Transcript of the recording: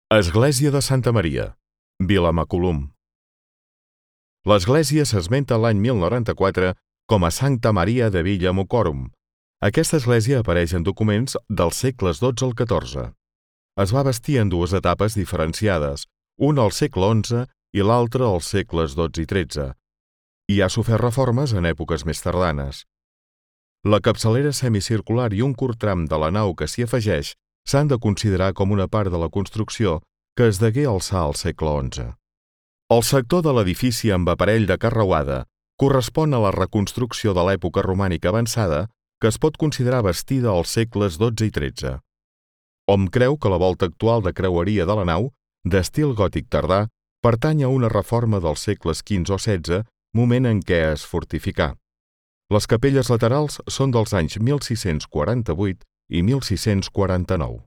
Església de Santa Maria, Vilamacolum. L'església s'esmenta l'any 1094 com a Sancta Maria de Villamocorum. Aquesta església apareix en documents dels segles XII al XIV. Es va bastir en dues etapes diferenciades, una al segle XI i l'altra als segles XII i XIII. I ha sofert reformes en èpoques més tardanes. La capçalera semicircular i un curt tram de la nau que s'hi afegeix s'han de considerar com una part de la construcció que es degué alçar al segle XI. El sector de l'edifici amb aparell de carreuada correspon a la reconstrucció de l'època romànica avançada que es pot considerar bastida als segles XII i XIII. Hom creu que la volta actual de creueria de la nau, d'estil gòtic tardà, pertany a una reforma dels segles XV o XVI, moment en què es fortificà. Les capelles laterals són dels anys 1648 i 1649.